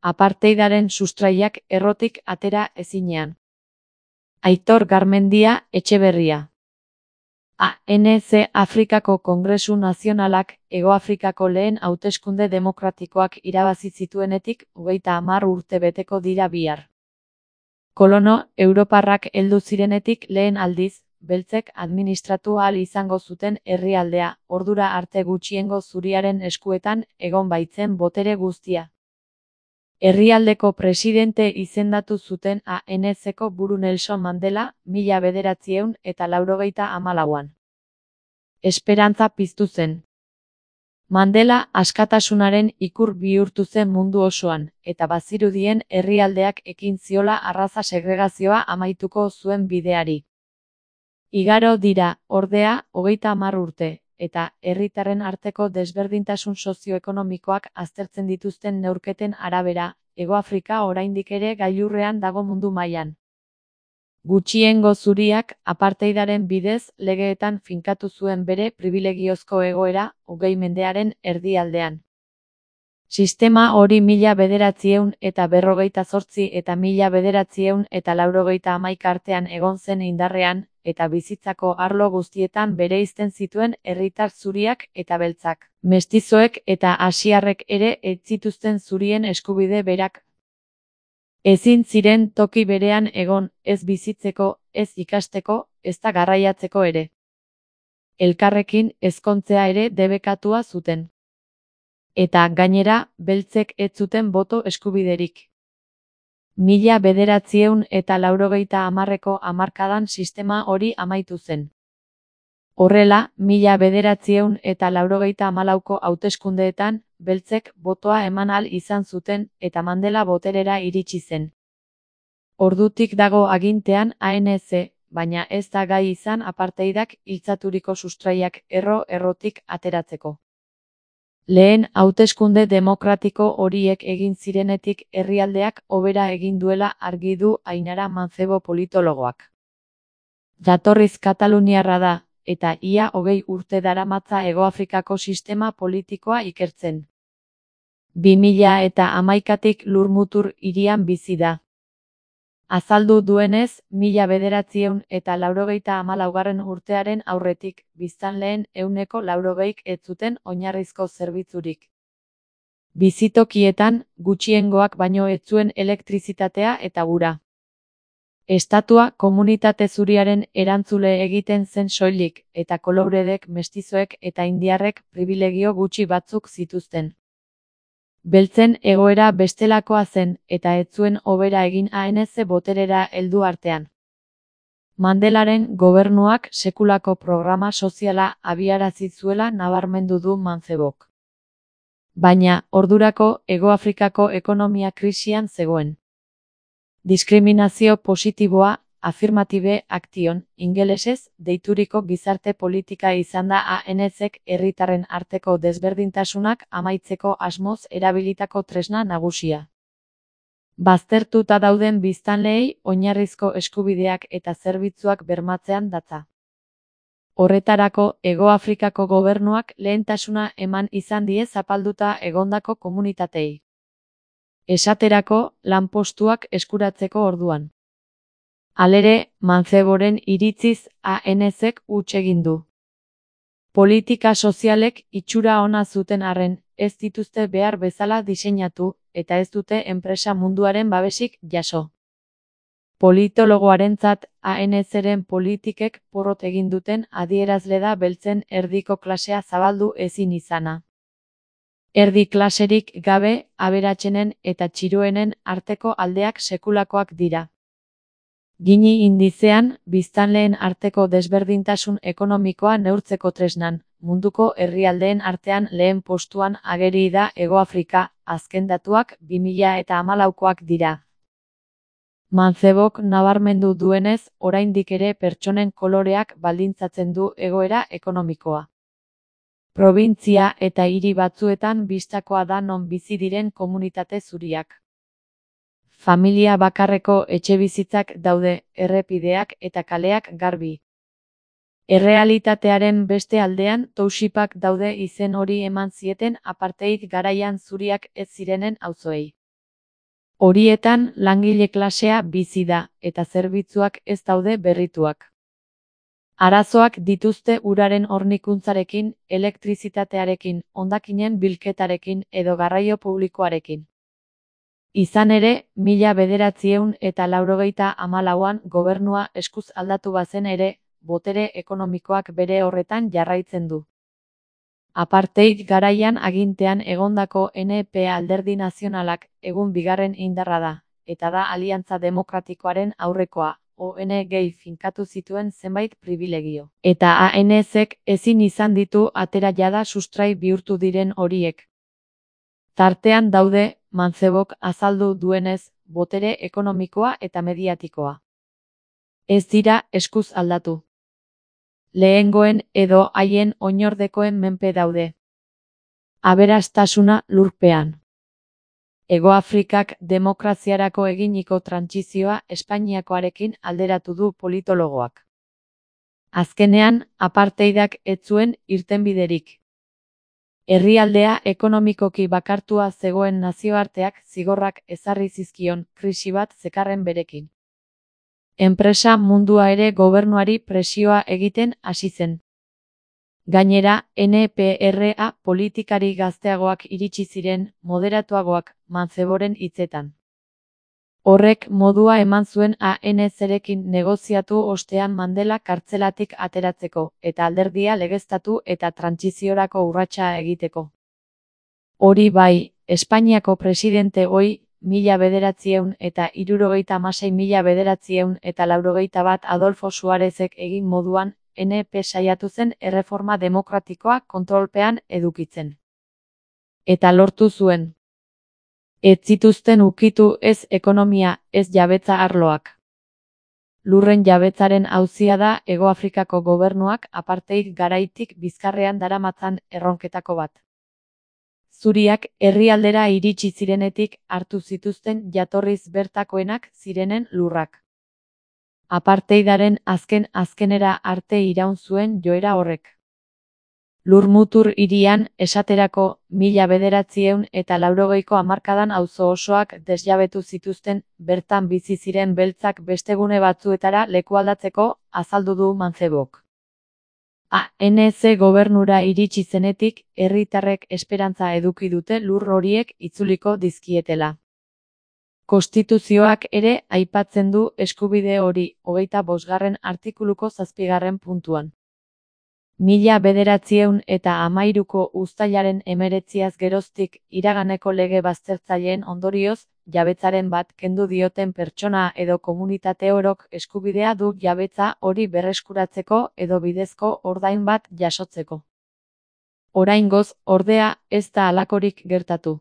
apartheidaren sustraiak errotik atera ezinean. Aitor Garmendia Etxeberria. ANC Afrikako Kongresu Nazionalak Hegoafrikako lehen hauteskunde demokratikoak irabazi zituenetik 30 urte beteko dira bihar. Kolono europarrak heldu zirenetik lehen aldiz, beltzek administratu ahal izango zuten herrialdea, ordura arte gutxiengo zuriaren eskuetan egon baitzen botere guztia. Herrialdeko presidente izendatu zuten ANC-ko buru Nelson Mandela 1984an. Esperantza piztu zen. Mandela askatasunaren ikur bihurtu zen mundu osoan, eta bazirudien herrialdeak ekin ziola arraza segregazioa amaituko zuen bideari. Igaro dira, ordea, 30 urte, eta herritarren arteko desberdintasun sozioekonomikoak aztertzen dituzten neurketen arabera, Hegoafrika oraindik ere gailurrean dago mundu mailan. Gutxiengo zuriak apartheidaren bidez legeetan finkatu zuen bere pribilegiozko egoera 20. mendearen erdialdean. Sistema hori 1948 eta 1991 artean egon zen indarrean, eta bizitzako arlo guztietan bereizten zituen herritar zuriak eta beltzak. Mestizoek eta asiarrek ere ez zituzten zurien eskubide berak. Ezin ziren toki berean egon, ez bizitzeko, ez ikasteko, ezta garraiatzeko ere. Elkarrekin ezkontzea ere debekatua zuten. Eta gainera, beltzek ez zuten boto eskubiderik. 1980ko hamarkadan sistema hori amaitu zen. Horrela, 1984ko hauteskundeetan, beltzek botoa eman ahal izan zuten eta Mandela boterera iritsi zen. Ordutik dago agintean ANC, baina ez da gai izan apartheidak hiltzaturiko sustraiak errotik ateratzeko. Lehen hauteskunde demokratiko horiek egin zirenetik herrialdeak hobera egin duela argi du Ainara Mancebo politologoak. Jatorriz kataluniarra da, eta ia 20 urte daramatza Hegoafrikako sistema politikoa ikertzen. 2011tik Lurmutur hirian bizi da. Azaldu duenez, 1984 urtearen aurretik, biztanleen 80%ik ez zuten oinarrizko zerbitzurik. Bizitokietan, gutxiengoak baino ez zuen elektrizitatea eta ura. Estatua komunitate zuriaren erantzule egiten zen soilik, eta koloredek, mestizoek eta indiarrek pribilegio gutxi batzuk zituzten. Beltzen egoera bestelakoa zen, eta ez zuen hobera egin ANC boterera heldu artean. Mandelaren gobernuak sekulako programa soziala abiarazi zuela nabarmendu du Mancebok. Baina, ordurako Hegoafrikako ekonomia krisian zegoen. Diskriminazio positiboa, affirmative action, ingelesez, deituriko gizarte politika izan da ANZek herritarren arteko desberdintasunak amaitzeko asmoz erabilitako tresna nagusia. Baztertuta dauden biztanleei oinarrizko eskubideak eta zerbitzuak bermatzean datza. Horretarako, Hegoafrikako gobernuak lehentasuna eman izan die zapalduta egondako komunitatei. Esaterako, lanpostuak eskuratzeko orduan. Halere, Manceboren iritziz ANZek huts egin du. Politika sozialek itxura ona zuten arren, ez dituzte behar bezala diseinatu, eta ez dute enpresa munduaren babesik jaso. Politologoarentzat, ANZren politikek porrot egin duten adierazle da beltzen erdiko klasea zabaldu ezin izana. Erdi klaserik gabe, aberatsenen eta txiroenen arteko aldeak sekulakoak dira. Gini indizean, biztanleen arteko desberdintasun ekonomikoa neurtzeko tresnan, munduko herrialdeen artean lehen postuan ageri da Hegoafrika, azken datuak 2014koak dira. Mancebok nabarmendu duenez, oraindik ere pertsonen koloreak baldintzatzen du egoera ekonomikoa. Probintzia eta hiri batzuetan bistakoa da non bizi diren komunitate zuriak. Familia bakarreko etxebizitzak daude, errepideak eta kaleak garbi. Errealitatearen beste aldean townshipak daude izen hori eman zieten apartheid garaian zuriak ez zirenen auzoei. Horietan langile klasea bizi da, eta zerbitzuak ez daude berrituak. Arazoak dituzte uraren hornikuntzarekin, elektrizitatearekin, hondakinen bilketarekin edo garraio publikoarekin. Izan ere, 1984an gobernua eskuz aldatu bazen ere, botere ekonomikoak bere horretan jarraitzen du. Apartheid garaian agintean egondako NP Alderdi Nazionalak egun bigarren indarra da, eta da Aliantza Demokratikoaren aurrekoa, ONG finkatu zituen zenbait pribilegio. Eta ANC-ek ezin izan ditu atera jada sustrai bihurtu diren horiek. Tartean daude, Mancebok azaldu duenez, botere ekonomikoa eta mediatikoa. Ez dira eskuz aldatu. Lehengoen edo haien oinordekoen menpe daude. Aberastasuna lurpean. Hegoafrikak demokraziarako eginiko trantsizioa Espainiakoarekin alderatu du politologoak. Azkenean, apartheidak ez zuen irtenbiderik. Herrialdea ekonomikoki bakartua zegoen nazioarteak zigorrak ezarri zizkion krisi bat zekarren berekin. Enpresa mundua ere gobernuari presioa egiten hasi zen. Gainera, NPRA politikari gazteagoak iritsi ziren, moderatuagoak, Manceboren hitzetan. Horrek modua eman zuen ANC-rekin negoziatu ostean Mandela kartzelatik ateratzeko, eta alderdia legeztatu eta trantsiziorako urratsa egiteko. Hori bai, Espainiako presidente ohi, 1976–1981 Adolfo Suarezek egin moduan, NP saiatu zen erreforma demokratikoa kontrolpean edukitzen. Eta lortu zuen. Ez zituzten ukitu ez ekonomia, ez jabetza arloak. Lurren jabetzaren auzia da Hegoafrikako gobernuak apartheid garaitik bizkarrean daramatzan erronketako bat. Zuriak herrialdera iritsi zirenetik hartu zituzten jatorriz bertakoenak zirenen lurrak. Apartheidaren azkenera arte iraun zuen joera horrek. Lurmutur hirian, esaterako, 1980ko hamarkadan auzo osoak desjabetu zituzten, bertan bizi ziren beltzak beste gune batzuetara lekualdatzeko, azaldu du Mancebok. ANC gobernura iritsi zenetik, herritarrek esperantza eduki dute lur horiek itzuliko dizkietela. Konstituzioak ere aipatzen du eskubide hori, 25. artikuluko 7. puntuan. 1913ko uztailaren 19 geroztik iraganeko lege baztertzaileen ondorioz, jabetzaren bat kendu dioten pertsona edo komunitate orok eskubidea du jabetza hori berreskuratzeko edo bidezko ordain bat jasotzeko. Oraingoz, ordea, ez da halakorik gertatu.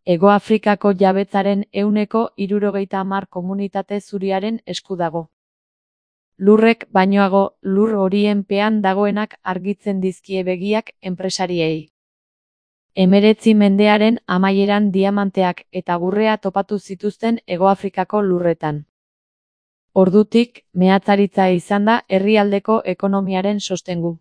Hegoafrikako jabetzaren 70% komunitate zuriaren esku dago. Lurrek bainoago, lur horien pean dagoenak argitzen dizkie begiak enpresariei. 19 mendearen amaieran diamanteak eta gurrea topatu zituzten Hegoafrikako lurretan. Ordutik, meatzaritza izan da herrialdeko ekonomiaren sostengu.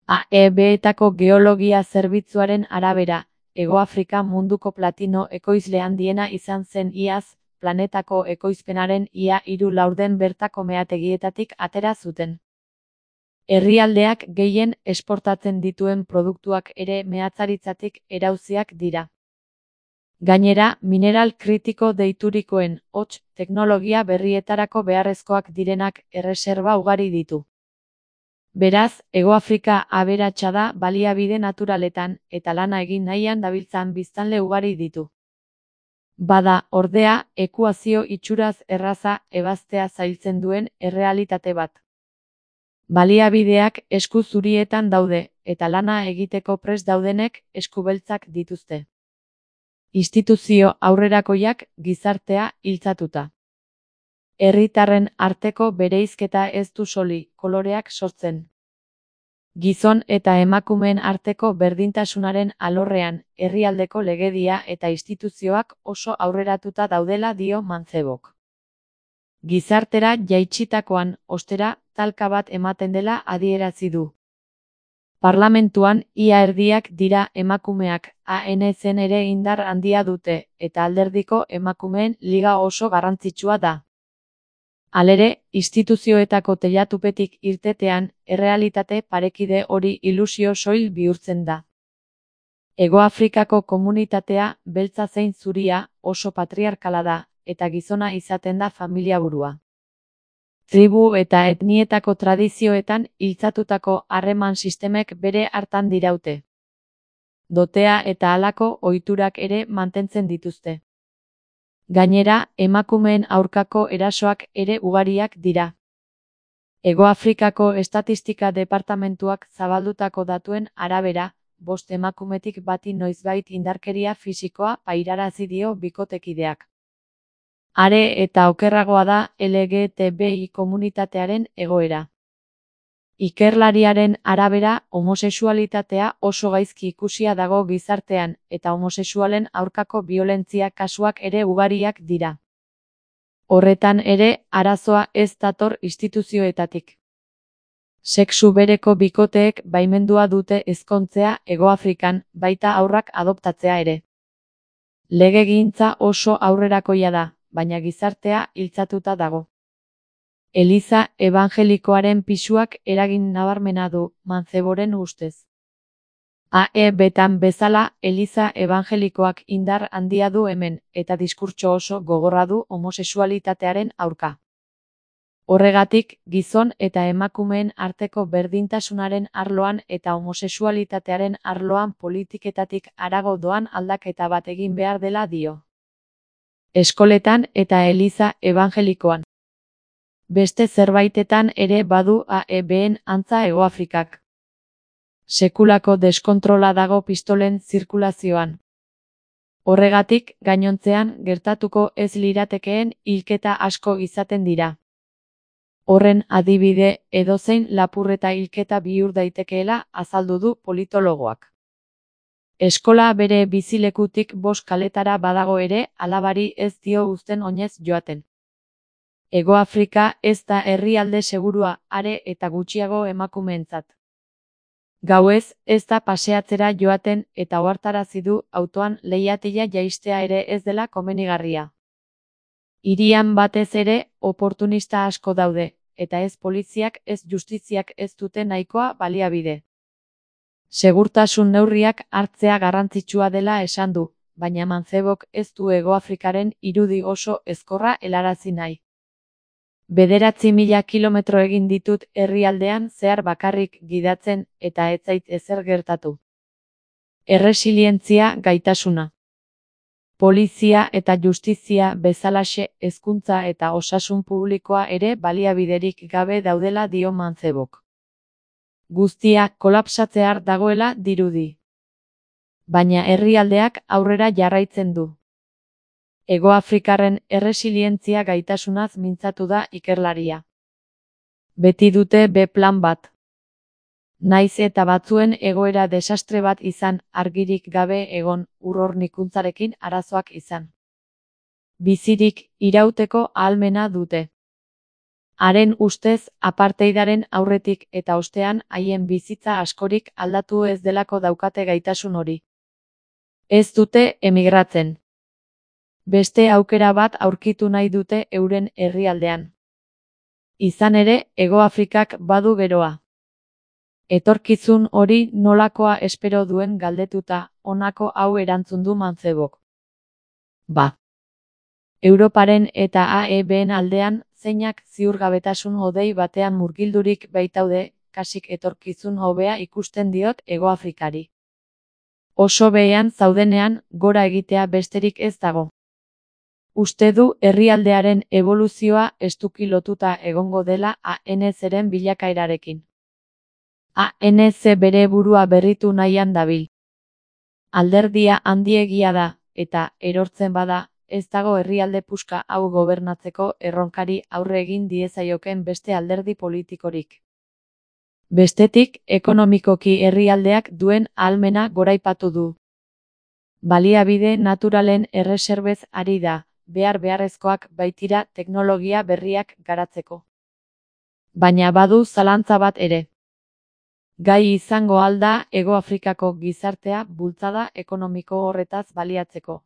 AEB-etako geologia zerbitzuaren arabera, Hegoafrika munduko platino ekoizle handiena izan zen iaz, planetako ekoizpenaren ia 3/4 bertako meategietatik atera zuten. Herrialdeak gehien esportatzen dituen produktuak ere meatzaritzatik erauziak dira. Gainera, mineral kritiko deiturikoen, hots, teknologia berrietarako beharrezkoak direnak erreserba ugari ditu. Beraz, Hegoafrika aberatsa da baliabide naturaletan, eta lana egin nahian dabiltzan biztanle ugari ditu. Bada, ordea, ekuazio itxuraz erraza ebaztea zailtzen duen errealitate bat. Baliabideak esku zurietan daude, eta lana egiteko prest daudenek esku beltzak dituzte. Instituzio aurrerakoiak gizartea hiltzatuta. Herritarren arteko bereizketa ez du soli, koloreak sortzen. Gizon eta emakumeen arteko berdintasunaren alorrean, herrialdeko legedia eta instituzioak oso aurreratuta daudela dio Mancebok. Gizartera jaitsitakoan, ostera, talka bat ematen dela adierazi du. Parlamentuan ia erdiak dira emakumeak, ANC-n ere indar handia dute, eta alderdiko emakumeen liga oso garrantzitsua da. Halere, instituzioetako teilatupetik irtetean, errealitate parekide hori ilusio soil bihurtzen da. Hegoafrikako komunitatea, beltza zein zuria, oso patriarkala da, eta gizona izaten da familiaburua. Tribu eta etnietako tradizioetan iltzatutako harreman sistemek bere hartan diraute. Dotea eta halako ohiturak ere mantentzen dituzte. Gainera, emakumeen aurkako erasoak ere ugariak dira. Hegoafrikako Estatistika Departamentuak zabaldutako datuen arabera, 5 emakumetik bati noizbait indarkeria fisikoa pairarazi dio bikotekideak. Are eta okerragoa da LGTBI komunitatearen egoera. Ikerlariaren arabera, homosexualitatea oso gaizki ikusia dago gizartean, eta homosexualen aurkako biolentzia kasuak ere ugariak dira. Horretan ere, arazoa ez dator instituzioetatik. Sexu bereko bikoteek baimendua dute ezkontzea Hegoafrikan, baita haurrak adoptatzea ere. Legegintza oso aurrerakoia da, baina gizartea iltzatuta dago. Eliza ebangelikoaren pisuak eragin nabarmena du, Manceboren ustez. AEB-tan bezala, Eliza ebangelikoak indar handia du hemen, eta diskurtso oso gogorra du homosexualitatearen aurka. Horregatik, gizon eta emakumeen arteko berdintasunaren arloan eta homosexualitatearen arloan politiketatik harago doan aldaketa bat egin behar dela dio. Eskoletan eta Eliza ebangelikoan. Beste zerbaitetan ere badu AEB-en antza Hegoafrikak. Sekulako deskontrola dago pistolen zirkulazioan. Horregatik, gainontzean gertatuko ez liratekeen hilketa asko izaten dira. Horren adibide, edozein lapurreta hilketa bihur daitekeela azaldu du politologoak. Eskola bere bizilekutik 5 kaletara badago ere, alabari ez dio uzten oinez joaten. Hegoafrika ez da herrialde segurua, are eta gutxiago emakumeentzat. Gauez, ez da paseatzera joaten eta ohartarazi du autoan leihatila jaistea ere ez dela komenigarria. Hirian batez ere, oportunista asko daude, eta ez poliziak ez justiziak ez dute nahikoa baliabide. Segurtasun neurriak hartzea garrantzitsua dela esan du, baina Mancebok ez du Hegoafrikaren irudi oso ezkorra helarazi nahi. 9.000 kilometro egin ditut herrialdean zehar bakarrik gidatzen eta ez zait ezer gertatu. Erresilientzia gaitasuna. Polizia eta justizia bezalaxe hezkuntza eta osasun publikoa ere baliabiderik gabe daudela dio Mancebok. Guztia kolapsatzear dagoela dirudi. Baina herrialdeak aurrera jarraitzen du. Hegoafrikarren erresilientzia gaitasunaz mintzatu da ikerlaria. Beti dute B-plan bat. Naiz eta batzuen egoera desastre bat izan, argirik gabe egon, urrornikuntzarekin arazoak izan. Bizirik irauteko ahalmena dute. Haren ustez, apartheidaren aurretik eta ostean haien bizitza askorik aldatu ez delako daukate gaitasun hori. Ez dute emigratzen. Beste aukera bat aurkitu nahi dute euren herrialdean. Izan ere, Hegoafrikak badu geroa. Etorkizun hori nolakoa espero duen galdetuta, honako hau erantzun du Mancebok. Ba. Europaren eta AEB-en aldean, zeinak ziurgabetasun hodei batean murgildurik baitaude, kasik etorkizun hobea ikusten diot Hegoafrikari. Oso behean zaudenean, gora egitea besterik ez dago. Uste du herrialdearen eboluzioa estuki lotuta egongo dela ANC-ren bilakaerarekin. ANC bere burua berritu nahian dabil. Alderdia handiegia da, eta erortzen bada, ez dago herrialde puska hau gobernatzeko erronkari aurre egin diezaioken beste alderdi politikorik. Bestetik, ekonomikoki herrialdeak duen ahalmena goraipatu du. Baliabide naturalen erreserbez ari da, beharrezkoak baitira teknologia berriak garatzeko. Baina badu zalantza bat ere. Gai izango al da Hego Afrikako gizartea bultzada ekonomiko horretaz baliatzeko?